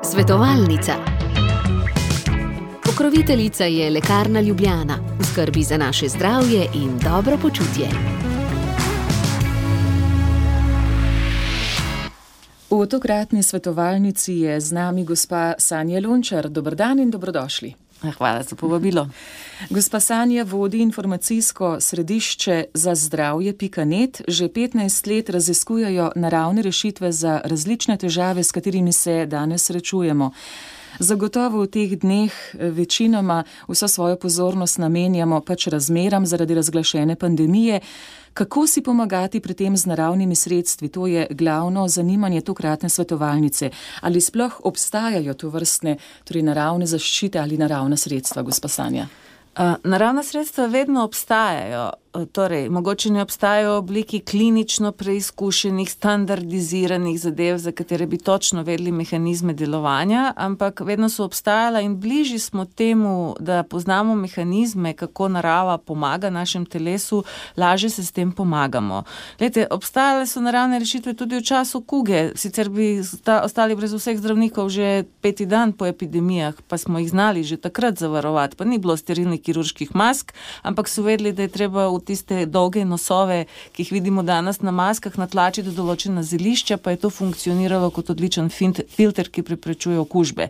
Svetovalnica. Pokroviteljica je Lekarna Ljubljana, v skrbi za naše zdravje in dobro počutje. V tokratni svetovalnici je z nami gospa Sanja Lončar. Dober dan in dobrodošli. Hvala za povabilo. Gospa Sanja vodi informacijsko središče za zdravje.net. Že 15 let raziskujejo naravne rešitve za različne težave, s katerimi se danes srečujemo. Zagotovo v teh dneh večinoma vso svojo pozornost namenjamo razmeram zaradi razglašene pandemije. Kako si pomagati pri tem z naravnimi sredstvi? To je glavno zanimanje tokratne svetovalnice. Ali sploh obstajajo tovrstne, torej naravne zaščite ali naravna sredstva, gospa Sanja? Naravna sredstva vedno obstajajo. Torej, mogoče ne obstajajo v obliki klinično preizkušenih, standardiziranih zadev, za katere bi točno vedeli mehanizme delovanja, ampak vedno so obstajala in bližji smo temu, da poznamo mehanizme, kako narava pomaga našem telesu, lažje se s tem pomagamo. Glejte, obstajale so naravne rešitve tudi v času kuge, sicer bi ostali brez vseh zdravnikov že 5. dan po epidemijah, pa smo jih znali že takrat zavarovati, pa ni bilo sterilnih kirurških mask, ampak so vedeli, da je treba v tiste dolge nosove, ki jih vidimo danes na maskah, natlačiti določena zelišča, pa je to funkcioniralo kot odličen filter, ki preprečuje okužbe.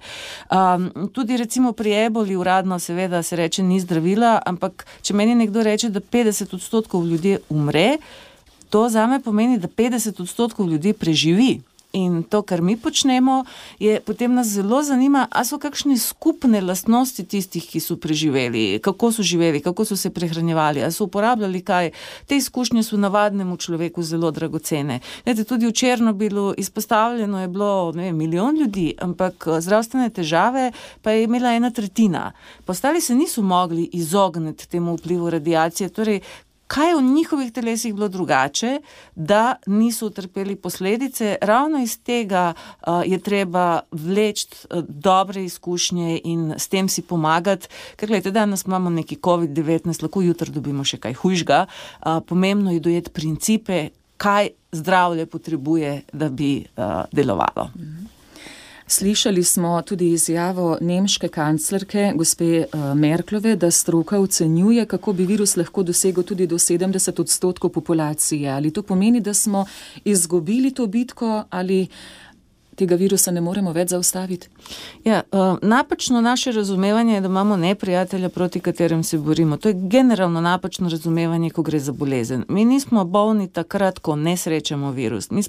Tudi recimo pri eboli uradno seveda se reče ni zdravila, ampak če meni nekdo reče, da 50% ljudje umre, to zame pomeni, da 50% ljudi preživi. In to, kar mi počnemo, je potem nas zelo zanima, a so kakšne skupne lastnosti tistih, ki so preživeli, kako so živeli, kako so se prehranjevali, a so uporabljali kaj. Te izkušnje so navadnemu človeku zelo dragocene. Tudi v Černobilu izpostavljeno je bilo 1 milijon ljudi, ampak zdravstvene težave pa je imela 1/3. Ostali se niso mogli izogniti temu vplivu radiacije, torej kaj je v njihovih telesih bilo drugače, da niso utrpeli posledice? Ravno iz tega je treba vleči dobre izkušnje in s tem si pomagati. Ker gledajte, danes imamo neki COVID-19, lahko jutri dobimo še kaj hujšega. Pomembno je dojeti principe, kaj zdravje potrebuje, da bi delovalo. Slišali smo tudi izjavo nemške kanclerke, gospe Merklove, da stroka ocenjuje, kako bi virus lahko dosegel tudi do 70% populacije. Ali to pomeni, da smo izgubili to bitko ali tega virusa ne moremo več zaustaviti? Ja, napačno naše razumevanje je, da imamo neprijatelja, proti katerem se borimo. To je generalno napačno razumevanje, ko gre za bolezen. Mi nismo bolni takrat, ko ne srečamo virus. Mi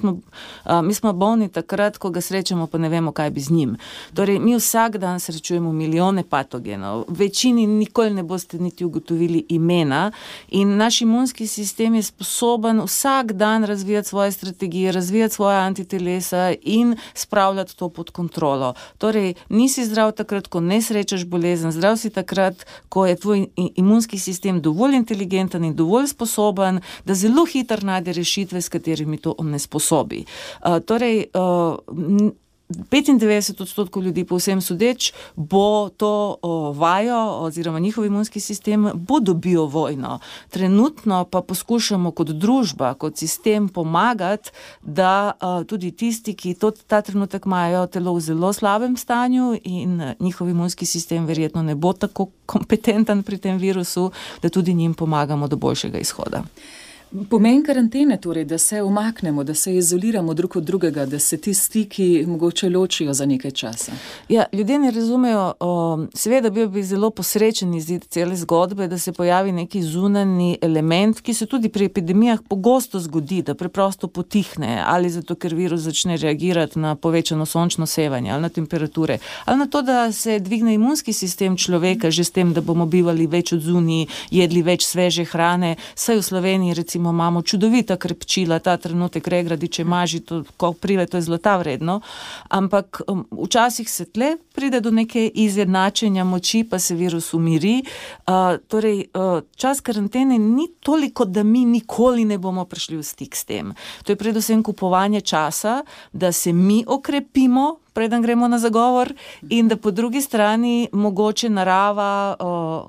smo bolni takrat, ko ga srečamo, pa ne vemo, kaj bi z njim. Torej, mi vsak dan srečujemo milijone patogenov. Večini nikoli ne boste niti ugotovili imena in naš imunski sistem je sposoben vsak dan razvijati svoje strategije, razvijati svoje antitelesa in spravljati to pod kontrolo. Torej, nisi zdrav takrat, ko ne srečaš bolezen, zdrav si takrat, ko je tvoj imunski sistem dovolj inteligenten in dovolj sposoben, da zelo hitro najde rešitve, s katerimi to onesposobi. Torej, 95% ljudi po vsem sodeč bo to vajo oziroma njihov imunski sistem bo dobil vojno. Trenutno pa poskušamo kot družba, kot sistem pomagati, da tudi tisti, ki ta trenutek imajo telo v zelo slabem stanju in njihov imunski sistem verjetno ne bo tako kompetenten pri tem virusu, da tudi njim pomagamo do boljšega izhoda. Pomen karantene torej, da se umaknemo, da se izoliramo drug od drugega, da se ti stiki mogoče ločijo za nekaj časa. Ja, ljudje ne razumejo, seveda bil bi zelo posrečen izid cele zgodbe, da se pojavi neki zunanji element, ki se tudi pri epidemijah pogosto zgodi, da preprosto potihne, ali zato, ker virus začne reagirati na povečano sončno sevanje, ali na temperature, ali na to, da se dvigne imunski sistem človeka že s tem, da bomo bivali več odzunaj, jedli več sveže hrane, saj v Sloveniji recimo imamo čudovita krepčila, ta trenutek regradiče maži, to, ko pride, to je zlata vredno, ampak včasih se tle pride do neke izjednačenja moči, pa se virus umiri. Torej, čas karantene ni toliko, da mi nikoli ne bomo prišli v stik s tem. To je predvsem kupovanje časa, da se mi okrepimo preden gremo na zagovor, in da po drugi strani mogoče narava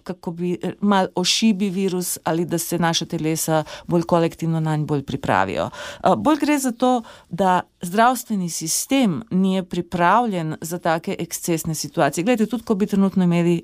kako bi mal ošibi virus ali da se naša telesa bolj kolektivno nanj bolj pripravijo. Bolj gre za to, da zdravstveni sistem ni pripravljen za take ekscesne situacije. Glejte, tudi ko bi trenutno imeli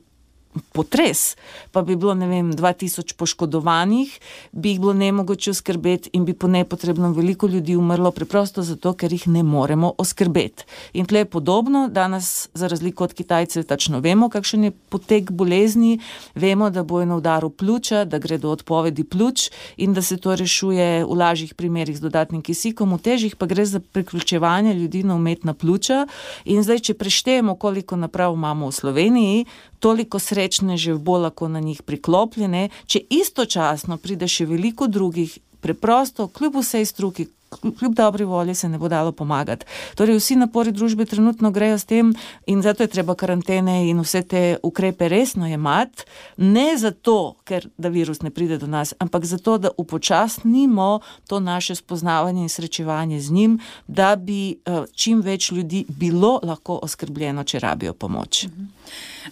potres, pa bi bilo, 2000 poškodovanih, bi jih bilo nemogoče oskrbeti in bi po nepotrebnem veliko ljudi umrlo preprosto zato, ker jih ne moremo oskrbeti. In tle je podobno, danes za razliko od Kitajcev tačno vemo, kakšen je potek bolezni, vemo, da bojo na udaru pljuča, da gre do odpovedi pljuč in da se to rešuje v lažjih primerih z dodatnim kisikom, v težjih pa gre za priključevanje ljudi na umetna pljuča. In zdaj, če preštejemo, koliko naprav imamo v Sloveniji, toliko srečnežev bo lahko na njih priklopljene, če istočasno pride še veliko drugih, preprosto, kljub vsej struki, kljub dobri volji se ne bo dalo pomagati. Torej, vsi napori družbe trenutno grejo s tem in zato je treba karantene in vse te ukrepe resno jemati, ne zato, ker da virus ne pride do nas, ampak zato, da upočasnimo to naše spoznavanje in srečevanje z njim, da bi čim več ljudi bilo lahko oskrbljeno, če rabijo pomoč.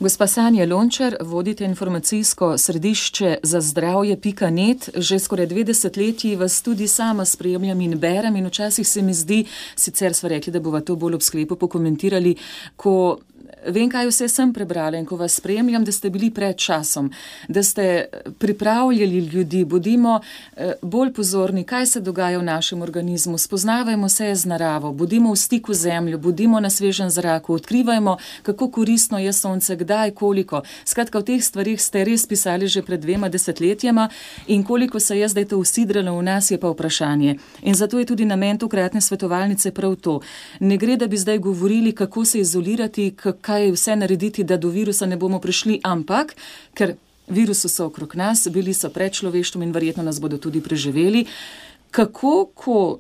Gospa Sanja Lončar, vodite informacijsko središče za zdravje.net. Že skoraj 2 desetletji vas tudi sama spremljam in berem in včasih se mi zdi, sicer sva rekli, da bova to bolj ob sklepu pokomentirali, ko vem, kaj vse sem prebrala in ko vas spremljam, da ste bili pred časom, da ste pripravljali ljudi, bodimo bolj pozorni, kaj se dogaja v našem organizmu, spoznavajmo se z naravo, bodimo v stiku z zemljo, bodimo na svežem zraku, odkrivajmo, kako koristno je sonce, kdaj, koliko. Skratka, v teh stvarih ste res pisali že pred 2 desetletjema in koliko se je zdaj to usidralo v nas, je pa vprašanje. In zato je tudi namen tokratne svetovalnice prav to. Ne gre, da bi zdaj govorili, kako se izolirati, kaj vse narediti, da do virusa ne bomo prišli, ampak, ker virusi so okrog nas, bili so pred človeštvom in verjetno nas bodo tudi preživeli, kako, ko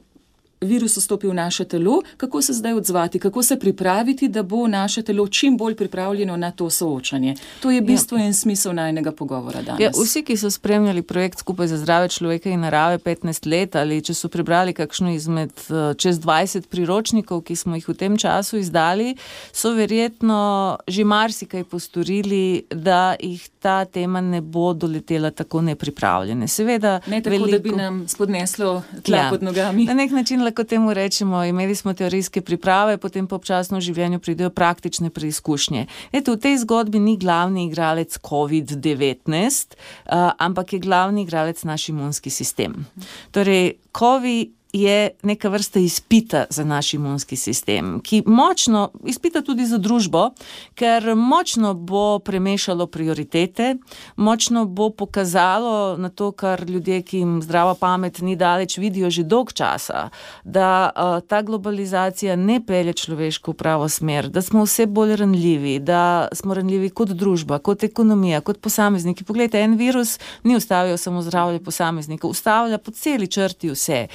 virus vstopi v naše telo, kako se zdaj odzvati, kako se pripraviti, da bo naše telo čim bolj pripravljeno na to soočanje. To je bistvo in smisel najnega pogovora danes. Ja, vsi, ki so spremljali projekt Skupaj za zdravje človeka in narave 15 let ali če so prebrali kakšno izmed čez 20 priročnikov, ki smo jih v tem času izdali, so verjetno že marsikaj postorili, da jih ta tema ne bo doletela tako nepripravljene. Seveda, ne tako, da bi nam spodneslo tla pod nogami. Na nek način lahko temu rečemo, imeli smo teorijske priprave, potem pa občasno v življenju pridejo praktične preizkušnje. Eto, v tej zgodbi ni glavni igralec COVID-19, ampak je glavni igralec naš imunski sistem. Torej, COVID je neka vrsta izpita za naš imunski sistem, ki močno izpita tudi za družbo, ker močno bo premešalo prioritete, močno bo pokazalo na to, kar ljudje, ki jim zdrava pamet ni daleč, vidijo že dolg časa, da ta globalizacija ne pelje človeško v pravo smer, da smo vse bolj ranljivi, da smo ranljivi kot družba, kot ekonomija, kot posamezniki. Poglejte, en virus ni ustavil samo zdravje posameznikov, ustavlja po celi črti vse.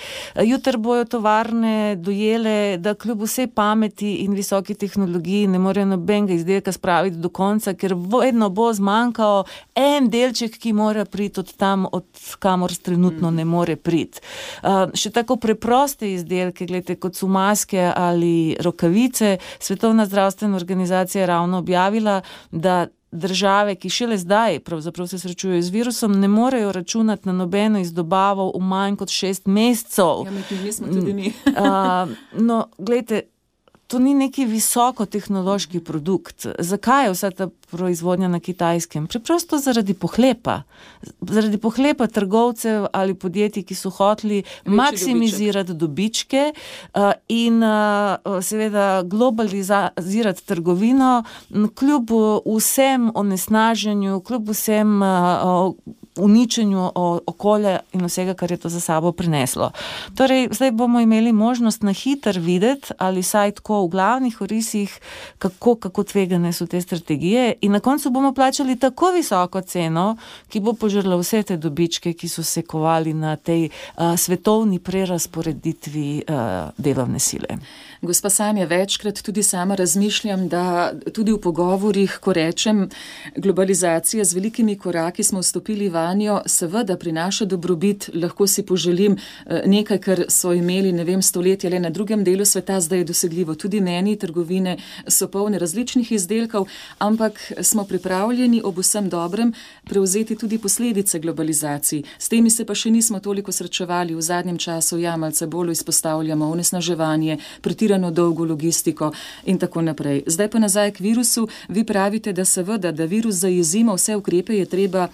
Jutri bojo tovarne dojele, da kljub vsej pameti in visoki tehnologiji ne morejo nobenega izdelka spraviti do konca, ker vedno bo zmanjkal en delček, ki mora priti od tam, od kamor trenutno ne more priti. Še tako preproste izdelke, gledajte, kot so maske ali rokavice, Svetovna zdravstvena organizacija je ravno objavila, da države, ki šele zdaj pravzaprav se srečujejo z virusom, ne morejo računati na nobeno izdobavo v manj kot 6 mesecev. Ja, mi smo tudi mi. No, gledajte, to ni neki visokotehnološki produkt. Zakaj je vsa ta proizvodnja na Kitajskem? Preprosto zaradi pohlepa. Zaradi pohlepa trgovcev ali podjetij, ki so hoteli maksimizirati dobičke in seveda globalizirati trgovino, kljub vsem onesnaženju, kljub vsem uničenju okolja in vsega, kar je to za sabo prineslo. Torej, zdaj bomo imeli možnost na hitro videti, ali saj tako v glavnih orisih, kako tvegane so te strategije in na koncu bomo plačali tako visoko ceno, ki bo požrla vse te dobičke, ki so se kovali na tej svetovni prerasporeditvi delovne sile. Gospa Sanja, večkrat tudi sama razmišljam, da tudi v pogovorih, ko rečem globalizacija, z velikimi koraki smo vstopili vanjo, vanjo seveda prinaša dobrobit, lahko si poželim nekaj, kar so imeli, stoletja le na drugem delu sveta, zdaj je dosegljivo. Tudi meni trgovine so polne različnih izdelkov, ampak smo pripravljeni ob vsem dobrem prevzeti tudi posledice globalizacij. S temi se pa še nismo toliko srečevali v zadnjem času, malce bolj izpostavljamo onesnaževanje, pretirano dolgo logistiko in tako naprej. Zdaj pa nazaj k virusu. Vi pravite, da seveda, da virus zajezimo, vse ukrepe je treba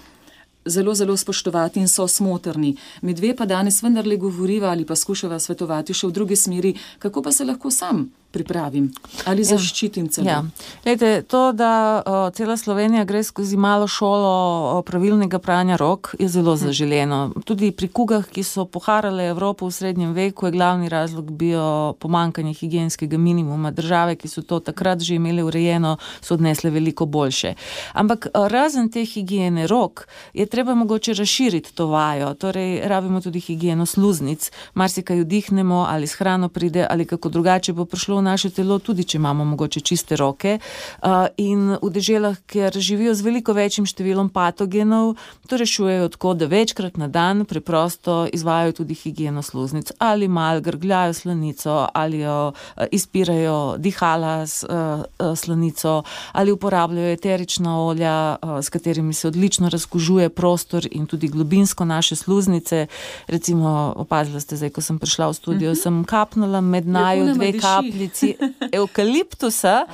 zelo, zelo spoštovati in so smotrni. Mi dve pa danes vendarle govoriva ali pa skušava svetovati še v drugi smeri, kako pa se lahko sam pripravim ali zaščitim celo. Ja. Glejte, to, da cela Slovenija gre skozi malo šolo pravilnega pranja rok, je zelo zaželeno. Tudi pri kugah, ki so poharale Evropo v srednjem veku, je glavni razlog bio pomanjkanje higienskega minimuma. Države, ki so to takrat že imeli urejeno, so odnesle veliko boljše. Ampak razen te higiene rok, je treba mogoče razširiti to vajo. Torej, rabimo tudi higieno sluznic. Marsikaj vdihnemo, ali s hrano pride, ali kako drugače bo prišlo naše telo, tudi če imamo mogoče čiste roke. In v deželah, kjer živijo z veliko večjim številom patogenov, to rešujejo tako, da večkrat na dan preprosto izvajajo tudi higieno sluznic. Ali mal grgljajo slanico, ali jo izpirajo dihala s slanico, ali uporabljajo eterična olja, s katerimi se odlično razkužuje prostor in tudi globinsko naše sluznice. Recimo, opazila ste zdaj, ko sem prišla v studio, sem kapnula med naju 2 kapljici evkaliptusa,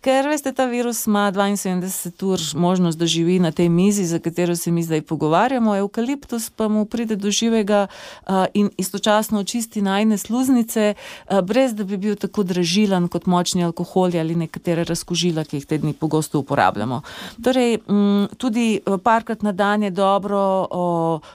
ker veste, ta virus ima 72 ur možnost, da živi na tej mizi, za katero se mi zdaj pogovarjamo. Evkaliptus pa mu pride do živega in istočasno očisti najne sluznice, brez da bi bil tako dražilan kot močni alkoholi ali nekatere razkužila, ki jih te dni pogosto uporabljamo. Torej, tudi parkrat na dan je dobro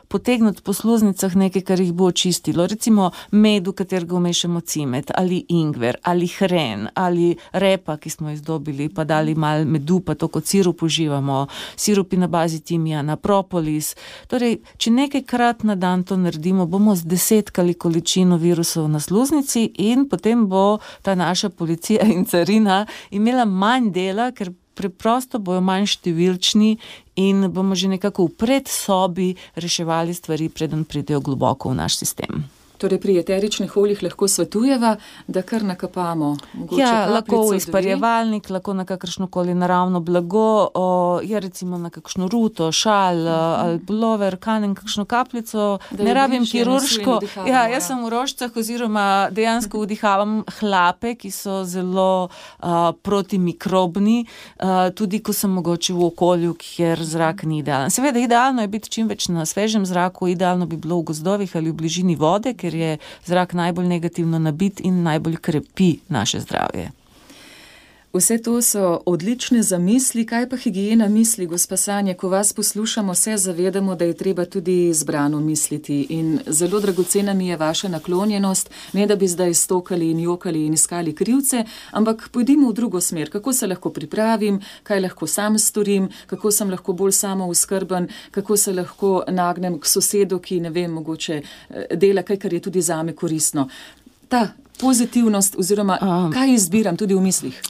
potegniti po sluznicah nekaj, kar jih bo očistilo. Recimo med, v katerega vmešamo cimet, ali ingver, ali hren, ali repa, ki smo izdobili, pa dali malo medu, pa to kot sirup uživamo, sirupi na bazi timijana, propolis. Torej, če nekajkrat na dan to naredimo, bomo zdesetkali količino virusov na sluznici in potem bo ta naša policija in carina imela manj dela, ker preprosto bojo manj številčni in bomo že nekako v predsobi reševali stvari, preden pridejo globoko v naš sistem. Torej pri eteričnih oljih lahko svetujeva, da kar nakapamo. Lahko v izparjevalnik, lahko na kakršnokoli naravno blago, recimo na kakšno ruto, šal, ali pulover, kanem kakšno kapljico, ne rabim kirurško. Jaz sem v rožcah oziroma dejansko vdihavam hlape, ki so zelo protimikrobni, tudi ko sem mogoče v okolju, kjer zrak ni idealen. Seveda, idealno je biti čim več na svežem zraku, idealno bi bilo v gozdovih ali v bližini vode, ker je zrak najbolj negativno nabit in najbolj krepi naše zdravje. Vse to so odlične zamisli. Kaj pa higiena misli, gospa Sanja? Ko vas poslušamo, se zavedamo, da je treba tudi zbrano misliti. In zelo dragocena mi je vaša naklonjenost, ne da bi zdaj stokali in jokali in iskali krivce, ampak pojdimo v drugo smer. Kako se lahko pripravim, kaj lahko sam storim, kako sem lahko bolj samooskrben, kako se lahko nagnem k sosedu, ki mogoče dela kaj, kar je tudi zame koristno. Ta pozitivnost oziroma kaj izbiram tudi v mislih?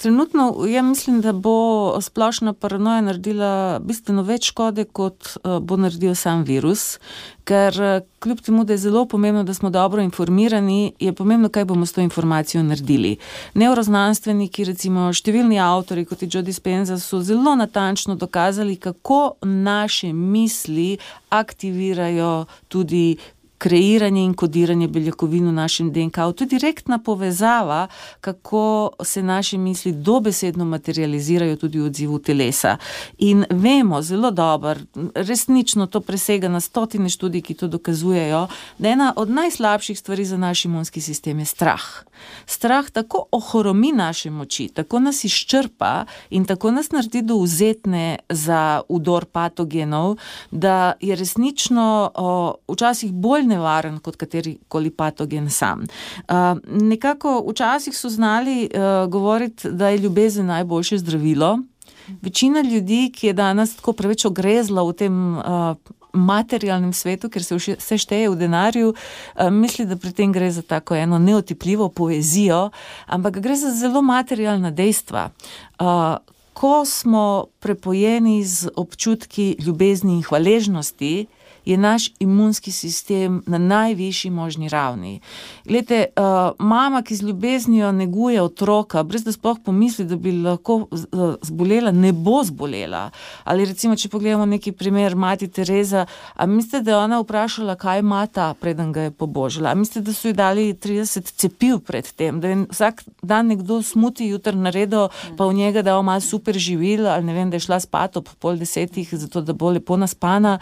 Trenutno mislim, da bo splošna paranoja naredila bistveno več škode, kot bo naredil sam virus, ker kljub temu, da je zelo pomembno, da smo dobro informirani, je pomembno, kaj bomo s to informacijo naredili. Neuroznanstveniki, recimo številni avtori, kot je Joe Dispenza, so zelo natančno dokazali, kako naše misli aktivirajo tudi kreiranje in kodiranje beljakovin v našem DNK. To je direktna povezava, kako se naše misli dobesedno materializirajo tudi v odzivu telesa. In vemo zelo dobro, resnično to presega na 100 študij, ki to dokazujejo, da ena od najslabših stvari za naš imunski sistem je strah. Strah tako ohromi naše moči, tako nas izčrpa in tako nas naredi dovzetne za vdor patogenov, da je resnično včasih bolj nevaren kot katerikoli patogen sam. Nekako včasih so znali govoriti, da je ljubezen najboljše zdravilo. Večina ljudi, ki je danes tako preveč ogrezla v tem materialnem svetu, ker se vse šteje v denarju, misli, da pri tem gre za tako eno neotipljivo poezijo, ampak gre za zelo materialna dejstva. ko smo prepojeni z občutki ljubezni in hvaležnosti, je naš imunski sistem na najvišji možni ravni. Glejte, mama, ki z ljubeznijo neguje otroka, brez da sploh pomisli, da bi lahko zbolela, ne bo zbolela. Ali recimo, če pogledamo neki primer, mati Tereza, a mislite, da je ona vprašala, kaj ima ta, preden ga je pobožila? A mislite, da so ji dali 30 cepiv pred tem, da je vsak dan nekdo smuti jutr naredil, pa v njega dal malo super živil, ali ne vem, da je šla spat ob 9:30, zato da bo lepo naspana.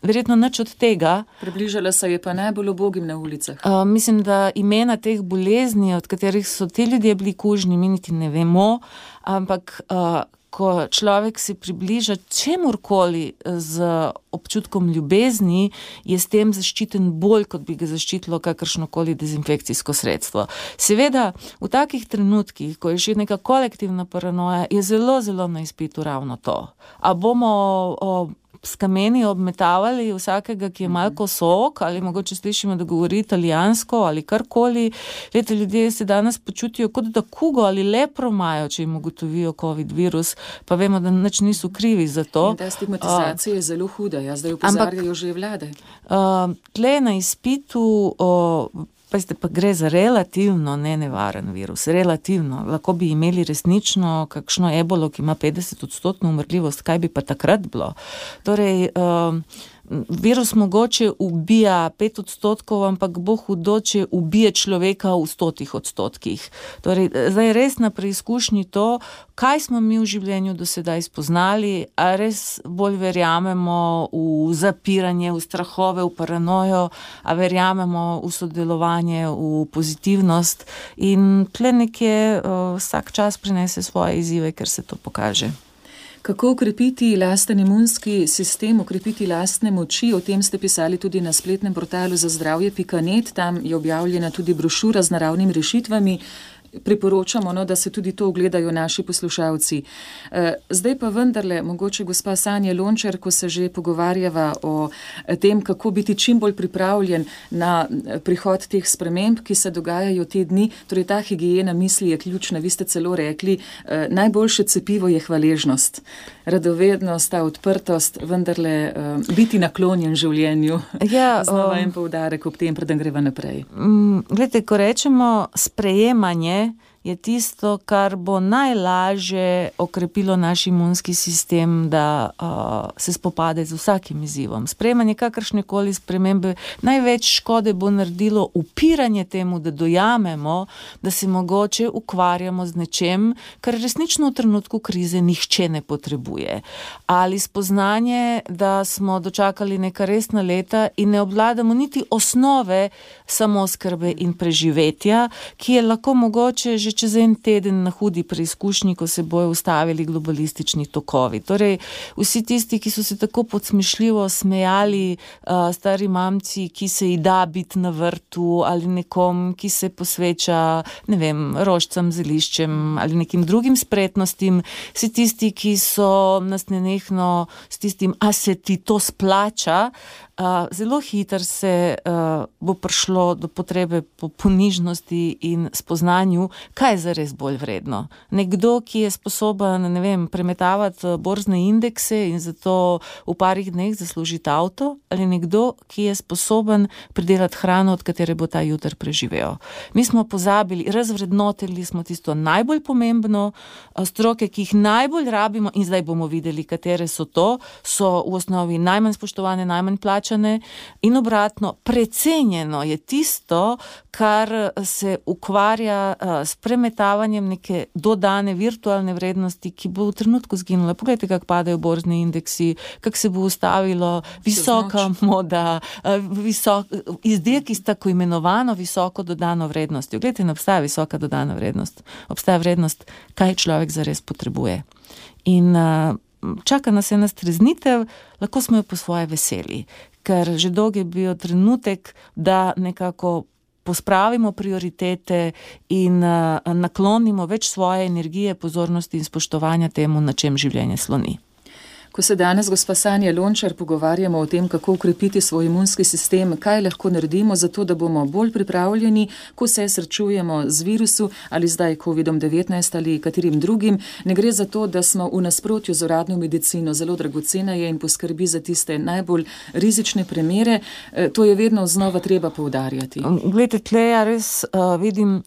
Verjetno nič od tega. Približala se je pa najbolj ubogim na ulicah. Mislim, da imena teh bolezni, od katerih so ti ljudje bili kužni, mi niti ne vemo, ampak ko človek se približa čemurkoli z občutkom ljubezni, je s tem zaščiten bolj, kot bi ga zaščitilo kakršnokoli dezinfekcijsko sredstvo. Seveda, v takih trenutkih, ko je še neka kolektivna paranoja, je zelo, zelo na izpitu ravno to. A bomo s kameni obmetavali vsakega, ki je malo kosok, ali mogoče slišimo, da govori italijansko ali karkoli. Lete, ljudje se danes počutijo, kot da kugo ali lepro imajo, če jim ugotovijo COVID virus, pa vemo, da nič niso krivi za to. In ta stigmatizacija je zelo huda, zdaj opozarjajo že vlade. Tle na izpitu pa gre za relativno nenevaren virus, relativno. Lahko bi imeli resnično kakšno ebolo, ki ima 50% umrljivost, kaj bi pa takrat bilo? Torej, virus mogoče ubija 5%, ampak bo hudo, če ubije človeka v 100%. Torej, zdaj je res na preizkušnji to, kaj smo mi v življenju do sedaj spoznali, a res bolj verjamemo v zapiranje, v strahove, v paranojo, a verjamemo v sodelovanje, v pozitivnost in tle nekje vsak čas prinese svoje izzive, ker se to pokaže. Kako ukrepiti lasten imunski sistem, ukrepiti lastne moči? O tem ste pisali tudi na spletnem portalu zazdravje.net. Tam je objavljena tudi brošura z naravnimi rešitvami. Priporočamo, da se tudi to ogledajo naši poslušalci. Zdaj pa vendarle, mogoče gospa Sanja Lončar, ko se že pogovarjava o tem, kako biti čim bolj pripravljen na prihod teh sprememb, ki se dogajajo te dni, torej ta higiena misli je ključna. Vi ste celo rekli, najboljše cepivo je hvaležnost, radovednost, ta odprtost, vendarle biti naklonjen življenju. Ja, znova en poudarek ob tem, preden greva naprej. Glejte, ko rečemo sprejemanje, je tisto, kar bo najlažje okrepilo naš imunski sistem, da se spopade z vsakim izzivom. Sprejemanje kakršnekoli spremembe, največ škode bo naredilo upiranje temu, da dojamemo, da se mogoče ukvarjamo z nečem, kar resnično v trenutku krize nihče ne potrebuje. Ali spoznanje, da smo dočakali neka resna leta in ne obvladamo niti osnove samooskrbe in preživetja, ki je lahko mogoče že čez en teden na hudi preizkušnji, ko se bojo ustavili globalistični tokovi. Torej, vsi tisti, ki so se tako podsmešljivo smejali, stari mamci, ki se ji da biti na vrtu, ali nekom, ki se posveča, ne vem, rožcem, zeliščem ali nekim drugim spretnostim, vsi tisti, ki so nas nenehno s tistim, a se ti to splača, zelo hitro se bo prišlo do potrebe po ponižnosti in spoznanju, kaj je zares bolj vredno. Nekdo, ki je sposoben, ne vem, premetavati borzne indekse in zato v parih dneh zaslužiti avto, ali nekdo, ki je sposoben pridelati hrano, od katere bo ta jutr preživel. Mi smo pozabili, razvrednotili smo tisto najbolj pomembno, stroke, ki jih najbolj rabimo in zdaj bomo videli, katere so to, so v osnovi najmanj spoštovane, najmanj plačane in obratno, precenjeno je tisto, kar se ukvarja s premetavanjem neke dodane virtualne vrednosti, ki bo v trenutku zginula. Poglejte, kako padajo borzni indeksi, kako se bo ustavilo visoka moda, izdelki s tako imenovano visoko dodano vrednostjo. Glejte, ne obstaja visoka dodana vrednost. Obstaja vrednost, kaj človek zares potrebuje. In čaka nas ena streznitev, lahko smo jo po svoje veseli, ker že dolgo je bil trenutek, da nekako pospravimo prioritete in naklonimo več svoje energije, pozornosti in spoštovanja temu, na čem življenje sloni. Ko se danes, gospa Sanja Lončar, pogovarjamo o tem, kako ukrepiti svoj imunski sistem, kaj lahko naredimo za to, da bomo bolj pripravljeni, ko se srečujemo z virusu ali zdaj COVID-19 ali katerim drugim, ne gre za to, da smo v nasprotju z uradno medicino, zelo dragocena je in poskrbi za tiste najbolj rizične primere. To je vedno znova treba poudarjati. Glejte, tle ja res vidim,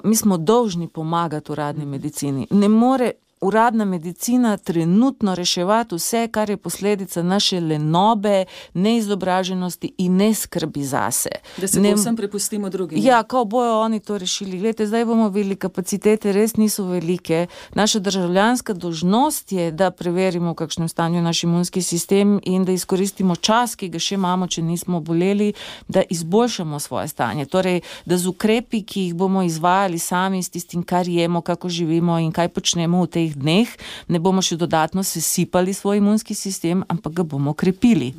mi smo dolžni pomagati uradni medicini. Ne more uradna medicina trenutno reševati vse, kar je posledica naše lenobe, neizobraženosti in neskrbi zase. Da se povsem prepustimo drugim. Ja, kako bojo oni to rešili. Glejte, zdaj bomo videli, kapacitete res niso velike. Naša državljanska dolžnost je, da preverimo, v kakšnem stanju naš imunski sistem in da izkoristimo čas, ki ga še imamo, če nismo boleli, da izboljšamo svoje stanje. Torej, da z ukrepi, ki jih bomo izvajali sami, s tistim, kar jemo, kako živimo in kaj počnemo v tej dneh, ne bomo še dodatno sesipali svoj imunski sistem, ampak ga bomo krepili.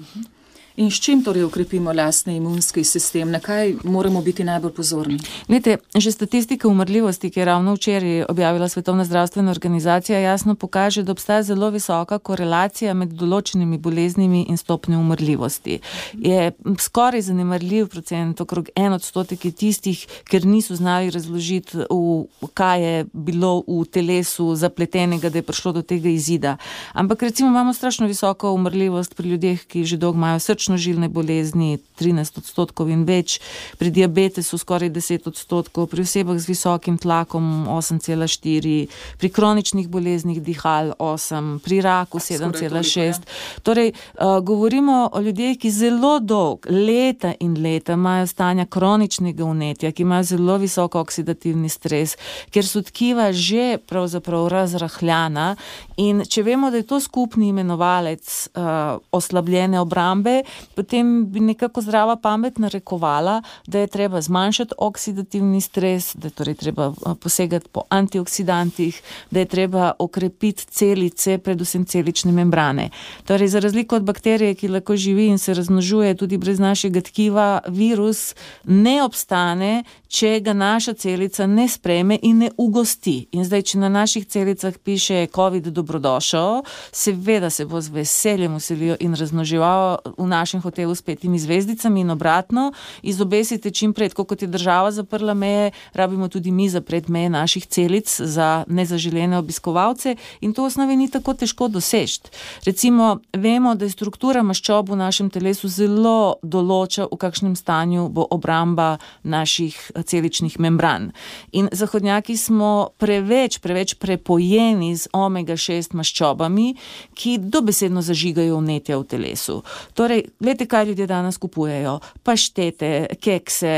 In s čim torej ukrepimo lastni imunski sistem? Na kaj moramo biti najbolj pozorni? Glede, že statistika umrljivosti, ki je ravno včeraj objavila Svetovna zdravstvena organizacija, jasno pokaže, da obstaja zelo visoka korelacija med določenimi boleznimi in stopnjo umrljivosti. Je skoraj zanemarljiv procent, okrog 1% je tistih, ker niso znali razložiti, kaj je bilo v telesu zapletenega, da je prišlo do tega izida. Ampak recimo imamo strašno visoko umrljivost pri ljudeh, ki že dolgo imajo srčno-žilne bolezni, 13% in več, pri diabetesu skoraj 10%, pri osebah z visokim tlakom 8,4%, pri kroničnih boleznih dihal 8%, pri raku 7,6%. Torej, govorimo o ljudeh, ki zelo dolg, leta in leta imajo stanja kroničnega vnetja, ki imajo zelo visok oksidativni stres, ker so tkiva že pravzaprav razrahljana in če vemo, da je to skupni imenovalec oslabljene obrambe, potem bi nekako zdrava pamet narekovala, da je treba zmanjšati oksidativni stres, da je torej treba posegati po antioksidantih, da je treba okrepiti celice, predvsem celične membrane. Torej, za razliko od bakterije, ki lahko živi in se razmnožuje tudi brez našega tkiva, virus ne obstane, če ga naša celica ne sprejme in ne ugosti. In zdaj, če na naših celicah piše COVID dobrodošel, seveda se bo z veseljem vselil in razmnoževal v našem hotelu s 5 zvezdicami in obratno, izobesite čim prej, kot je država zaprla meje, rabimo tudi mi zapreti meje naših celic za nezaželene obiskovalce in to v osnovi ni tako težko doseči. Recimo, vemo, da je struktura maščob v našem telesu zelo določa, v kakšnem stanju bo obramba naših celičnih membran. In zahodnjaki smo preveč prepojeni z omega-6 maščobami, ki dobesedno zažigajo vnetja v telesu. Torej, gledajte, kaj ljudje danes kupujejo. Paštete, kekse,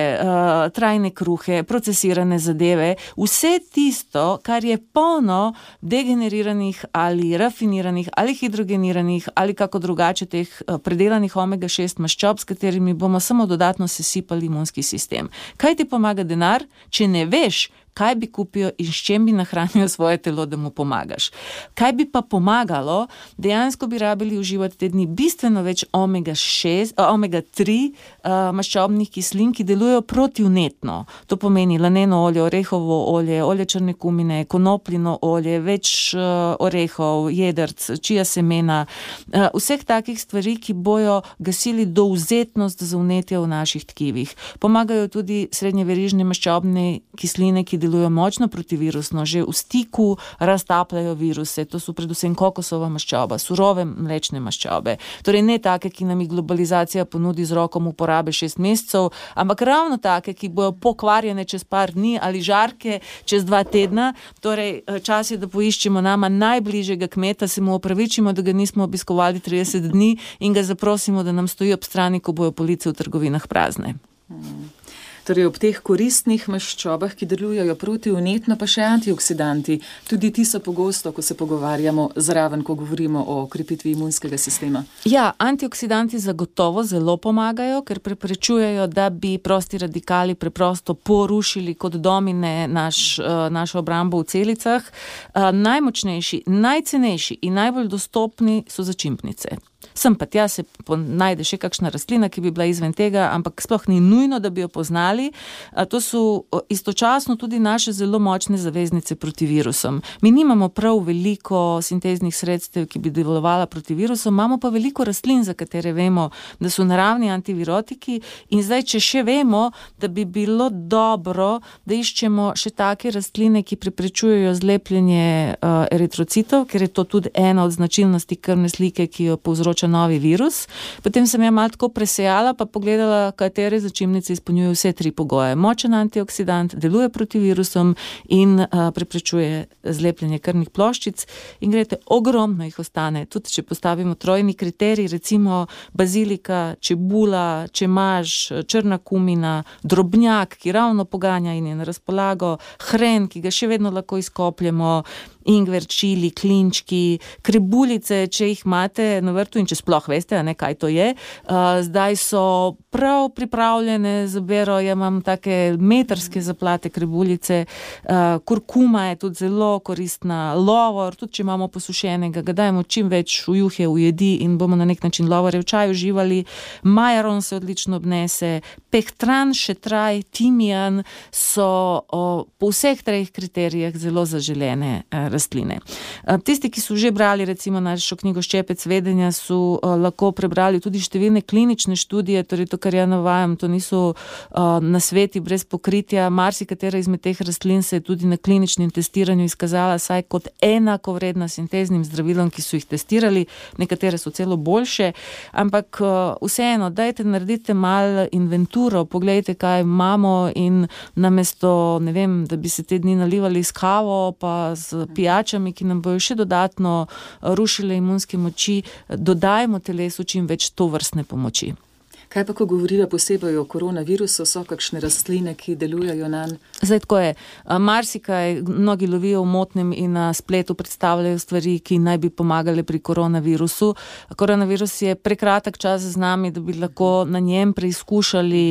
trajne kruhe, procesirane zadeve, vse tisto, kar je polno degeneriranih ali rafiniranih ali hidrogeniranih ali kako drugače teh predelanih omega-6 maščob, s katerimi bomo samo dodatno sesipali imunski sistem. Kaj ti pomaga denar, če ne veš, kaj bi kupil in s čem bi nahranil svoje telo, da mu pomagaš. Kaj bi pa pomagalo? Dejansko bi rabili uživati te dni bistveno več omega-3 maščobnih kislin, ki delujejo protivnetno. To pomeni laneno olje, orehovo olje, olje črne kumine, konopljino olje, več orehov, jedrc, čija semena, vseh takih stvari, ki bojo gasili dovzetnost za vnetje v naših tkivih. Pomagajo tudi srednjeverižne maščobne kisline, ki delujejo močno protivirusno, že v stiku raztapljajo viruse, to so predvsem kokosova maščoba, surove mlečne maščobe. Torej ne take, ki nam jih globalizacija ponudi z rokom uporabe 6 mesecev, ampak ravno take, ki bojo pokvarjene čez par dni ali žarke čez 2 tedna. Torej čas je, da poiščemo nama najbližjega kmeta, se mu opravičimo, da ga nismo obiskovali 30 dni in ga zaprosimo, da nam stoji ob strani, ko bojo police v trgovinah prazne. Torej ob teh koristnih maščobah, ki delujejo protivnetno, pa še antioksidanti. Tudi ti so pogosto, ko se pogovarjamo zraven, ko govorimo o krepitvi imunskega sistema. Ja, antioksidanti zagotovo zelo pomagajo, ker preprečujejo, da bi prosti radikali preprosto porušili kot domine našo obrambo v celicah. Najmočnejši, najcenejši in najbolj dostopni so začimpnice. Sem pa tja se najde še kakšna rastlina, ki bi bila izven tega, ampak sploh ni nujno, da bi jo poznali. To so istočasno tudi naše zelo močne zaveznice proti virusom. Mi nimamo prav veliko sinteznih sredstev, ki bi delovala proti virusom, imamo pa veliko rastlin, za katere vemo, da so naravni antivirotiki in zdaj, če še vemo, da bi bilo dobro, da iščemo še take rastline, ki preprečujejo zlepljenje eritrocitov, ker je to tudi ena od značilnosti krvne slike, ki jo povzroča novi virus. Potem sem malo tako presejala, pa pogledala, katere začimnice izpolnjujejo vse 3 pogoje. Močen antioksidant, deluje proti virusom in preprečuje zlepljenje krvnih ploščic. In gledajte, ogromno jih ostane. Tudi če postavimo trojni kriterij, recimo bazilika, čebula, čemaž, črna kumina, drobnjak, ki ravno poganja in je na razpolago, hren, ki ga še vedno lahko izkopljemo, ingver, čili, klinčki, krebuljice, če jih imate na vrtu in če sploh veste, kaj to je. Zdaj so prav pripravljene za bero, ja imam take metrske zaplate krebuljice, kurkuma je tudi zelo koristna, lovor, tudi če imamo posušenega, ga dajmo čim več v juhe, v jedi in bomo na nek način lovore v čaju uživali. Majaron se odlično obnese, pehtran, šetraj, timijan so po vseh 3 kriterijah zelo zaželene rastline. Tisti, ki so že brali recimo našo knjigo Ščepec vedenja, so lahko prebrali tudi številne klinične študije, torej to, kar ja navajam, to niso nasveti brez pokritja. Marsikatera izmed teh rastlin se je tudi na kliničnem testiranju izkazala saj kot enakovredna sinteznim zdravilom, ki so jih testirali, nekatere so celo boljše, ampak vseeno, dajte naredite malo inventuro, poglejte, kaj imamo in namesto, ne vem, da bi se te dni nalivali s kavo pa z pijačami, ki nam bojo še dodatno rušile imunske moči, dodajmo telesu čim več tovrstne pomoči. Kaj pa, ko govorijo posebej o koronavirusu, so kakšne rastline, ki delujejo nanj? Zdaj tako je. Marsikaj, mnogi lovijo v motnem in na spletu predstavljajo stvari, ki naj bi pomagale pri koronavirusu. Koronavirus je prekratek čas z nami, da bi lahko na njem preizkušali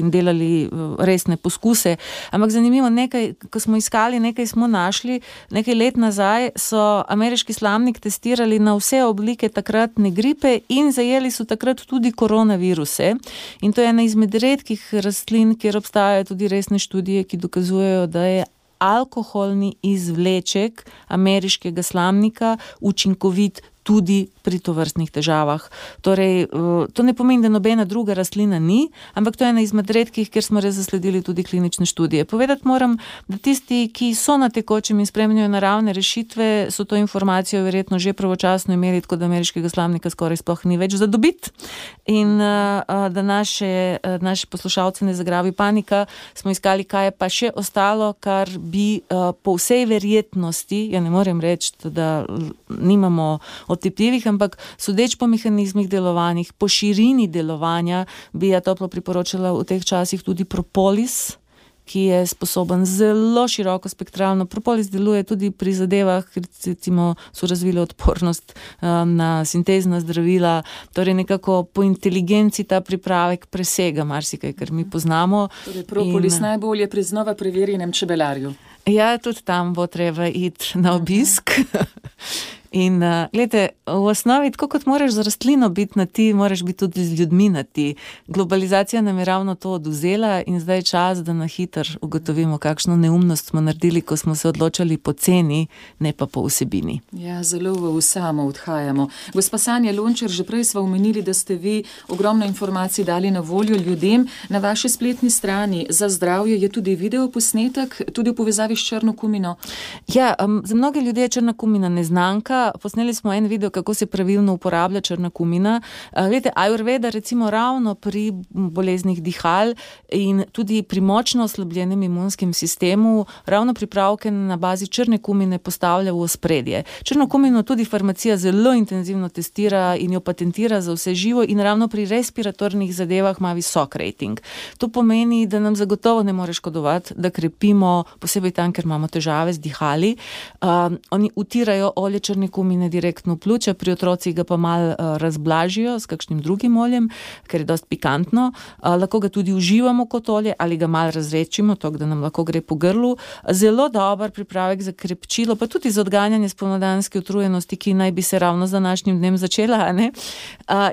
in delali resne poskuse. Ampak zanimivo, ko smo iskali, nekaj smo našli. Nekaj let nazaj so ameriški slamnik testirali na vse oblike takratne gripe in zajeli so takrat tudi koronaviruse. In to je ena izmed redkih rastlin, kjer obstajajo tudi resne študije, ki dokazujejo, da je alkoholni izvleček ameriškega slamnika učinkovit tudi pri tovrstnih težavah. Torej, to ne pomeni, da nobena druga rastlina ni, ampak to je ena izmed redkih, kjer smo res zasledili tudi klinične študije. Povedati moram, da tisti, ki so na tekočem in spremljajo naravne rešitve, so to informacijo verjetno že pravočasno imeli, tako da ameriškega slamnika skoraj sploh ni več za dobiti. In da naše poslušalce ne zagrabi panika, smo iskali, kaj je pa še ostalo, kar bi po vsej verjetnosti, ja ne morem reči, da nimamo otipljivih, ampak sodeč po mehanizmih delovanjih, po širini delovanja, bi ja toplo priporočala v teh časih tudi propolis, ki je sposoben zelo široko spektralno. Propolis deluje tudi pri zadevah, recimo so razvili odpornost na sintezna zdravila, torej nekako po inteligenci ta pripravek presega marsikaj, kar mi poznamo. Torej propolis najbolje pri znova preverjenem čebelarju. Ja, tudi tam bo treba iti na obisk. In gledajte, v osnovi, tako kot moraš z rastlino biti na ti, moraš biti tudi z ljudmi na ti. Globalizacija nam je ravno to odvzela in zdaj je čas, da na hiter ugotovimo, kakšno neumnost smo naredili, ko smo se odločali po ceni, ne pa po vsebini. Ja, zelo v samo odhajamo. Gospa Sanja Lončar, že prej sva omenili, da ste vi ogromno informacij dali na voljo ljudem. Na vaši spletni strani Za zdravje je tudi videoposnetek, tudi v povezavi s črno kumino. Ja, za mnoge ljudi je črna kumina neznanka. Posneli smo en video, kako se pravilno uporablja črna kumina. Glede, Ayurveda recimo ravno pri boleznih dihal in tudi pri močno oslabljenem imunskem sistemu ravno pripravke na bazi črne kumine postavlja v ospredje. Črno kumino tudi farmacija zelo intenzivno testira in jo patentira za vse živo in ravno pri respiratornih zadevah ima visok rating. To pomeni, da nam zagotovo ne more škodovati, da krepimo, posebej tam, ker imamo težave z dihali. Oni utirajo olje črne kumine direktno v pljuča, pri otrocih ga pa malo razblažijo s kakšnim drugim oljem, ker je dosti pikantno. Lahko ga tudi uživamo kot olje ali ga malo razredčimo, tako da nam lahko gre po grlu. Zelo dober pripravek za krepčilo, pa tudi za odganjanje spomladanske utrujenosti, ki naj bi se ravno z današnjim dnem začela, ne?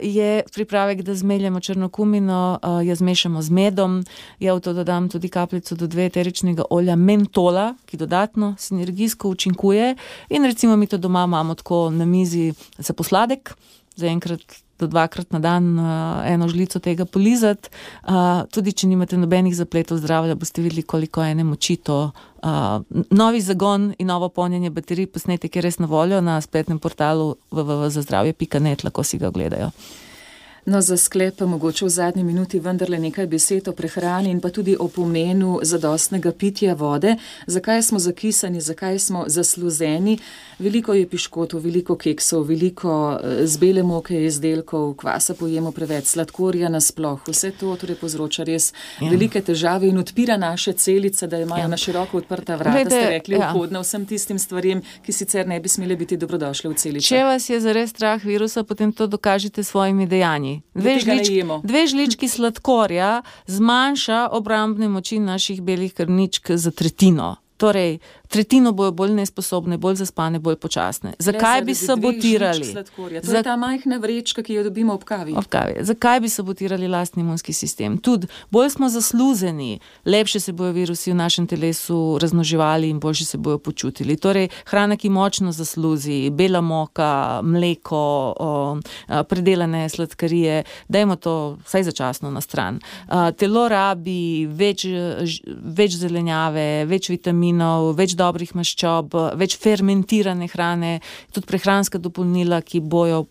Je pripravek, da zmeljemo črno kumino, jo zmešamo z medom, v to dodam tudi kapljico do 2 eteričnega olja mentola, ki dodatno sinergijsko učinkuje, in recimo mi to doma imamo tako na mizi za posladek, za enkrat do 2krat na dan eno žlico tega polizati. Tudi če nimate nobenih zapletov zdravja, boste videli, koliko ene moči to. Novi zagon in novo polnjenje baterij, posnetek je res na voljo na spletnem portalu www.zazdravje.net, lahko si ga ogledajo. No, za sklep pa mogoče v zadnji minuti vendarle nekaj besed o prehrani in pa tudi o pomenu zadostnega pitja vode. Zakaj smo zakisani, zakaj smo zasluzeni? Veliko je piškotov, veliko keksov, veliko z bele moke izdelkov, kvasa pojemo preveč, sladkorja nasploh. Vse to torej povzroča res velike težave in odpira naše celice, da imajo na široko odprta vrata, ste rekli, vhodna vsem tistim stvarem, ki sicer ne bi smele biti dobrodošle v celici. Če vas je zares strah virusa, potem to dokažite s svojimi dejanji. 2 žlički sladkorja zmanjša obrambne moči naših belih krvničk za tretjino. Torej, tretjino bojo bolj nesposobne, bolj zaspane, bolj počasne. Zakaj bi sabotirali? To je ta majhna vrečka, ki jo dobimo ob kavi. Zakaj bi sabotirali lastni imunski sistem? Tudi bolj smo zasluzeni, lepše se bojo virusi v našem telesu razmnoževali in boljše se bojo počutili. Torej, hrana, ki močno zasluzi, bela moka, mleko, predelane sladkarije, dajmo to vsaj začasno na stran. Telo rabi več zelenjave, več vitaminov, več dobrih maščob, več fermentirane hrane, tudi prehranska dopolnila, ki bojo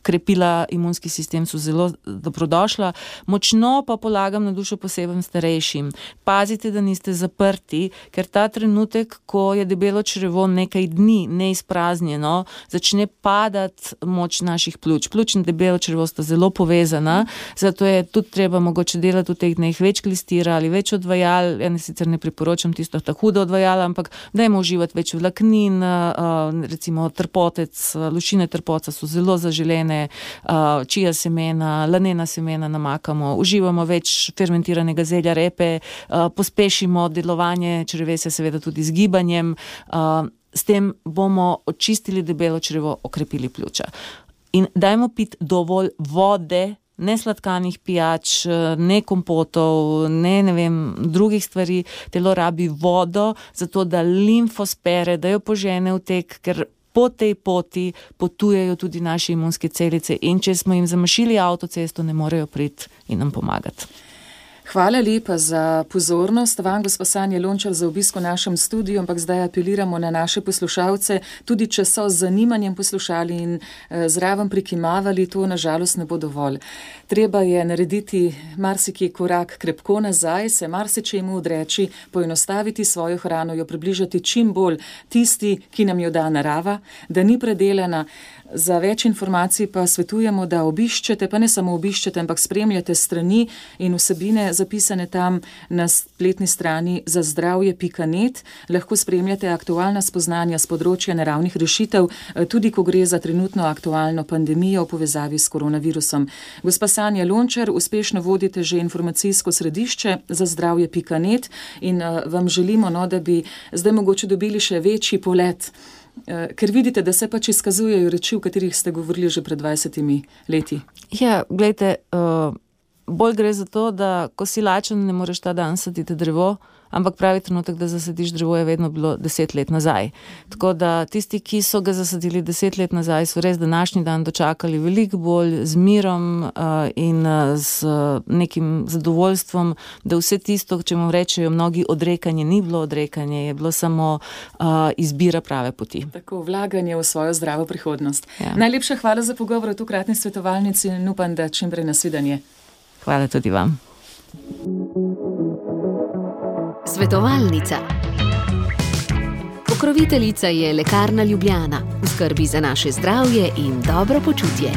krepila imunski sistem, so zelo dobrodošla. Močno pa polagam na dušo posebej starejšim. Pazite, da niste zaprti, ker ta trenutek, ko je debelo črevo nekaj dni neizpraznjeno, začne padati moč naših pljuč. Pljuč in debelo črevo sta zelo povezana, zato je tudi treba mogoče delati v teh dneh več klistira ali več odvajal. Ja sicer ne priporočam tisto ta huda odvajala, ampak dajmo uživati več vlaknin, recimo trpotec, lušine trpoca so zelo zaželene, čija semena, lanena semena namakamo, uživamo več fermentiranega zelja, repe, pospešimo delovanje črevesja seveda tudi z gibanjem, s tem bomo očistili debelo črevo, okrepili pljuča. In dajmo piti dovolj vode, ne sladkanih pijač, ne kompotov, ne drugih stvari. Telo rabi vodo, zato da limfo spere, da jo požene v tek, ker po tej poti potujejo tudi naše imunske celice in če smo jim zamašili avtocesto, ne morejo priti in nam pomagati. Hvala lepa za pozornost. Vam, gospa Sanja Lončar, za obisk v našem studiu, ampak zdaj apeliramo na naše poslušalce, tudi če so z zanimanjem poslušali in zraven prikimavali, to nažalost ne bo dovolj. Treba je narediti marsikaj korak krepko nazaj, se marsičemu odreči, poenostaviti svojo hrano, jo približati čim bolj tisti, ki nam jo da narava, da ni predelana. Za več informacij pa svetujemo, da obiščete, pa ne samo obiščete, ampak spremljate strani in vsebine zapisane tam na spletni strani zazdravje.net. Lahko spremljate aktualna spoznanja s področja naravnih rešitev, tudi ko gre za trenutno aktualno pandemijo v povezavi s koronavirusom. Gospa Sanja Lončar, uspešno vodite že informacijsko središče zazdravje.net in vam želimo, da bi zdaj mogoče dobili še večji polet, ker vidite, da se pač izkazujejo reči, o katerih ste govorili že pred 20 leti. Ja, glejte, bolj gre za to, da ko si lačen, ne moreš ta dan saditi drevo, ampak pravi trenutek, da zasadiš drevo, je vedno bilo 10 let nazaj. Tako da tisti, ki so ga zasadili 10 let nazaj, so res današnji dan dočakali veliko bolj z mirom in z nekim zadovoljstvom, da vse tisto, če mu rečejo mnogi odrekanje, ni bilo odrekanje, je bilo samo izbira prave poti. Tako, vlaganje v svojo zdravo prihodnost. Ja. Najlepša hvala za pogovor v tokratni svetovalnici in upam, da čim prej nasvidenje. Hvala tudi vam. Svetovalnica. Pokroviteljica je Lekarna Ljubljana, v skrbi za naše zdravje in dobro počutje.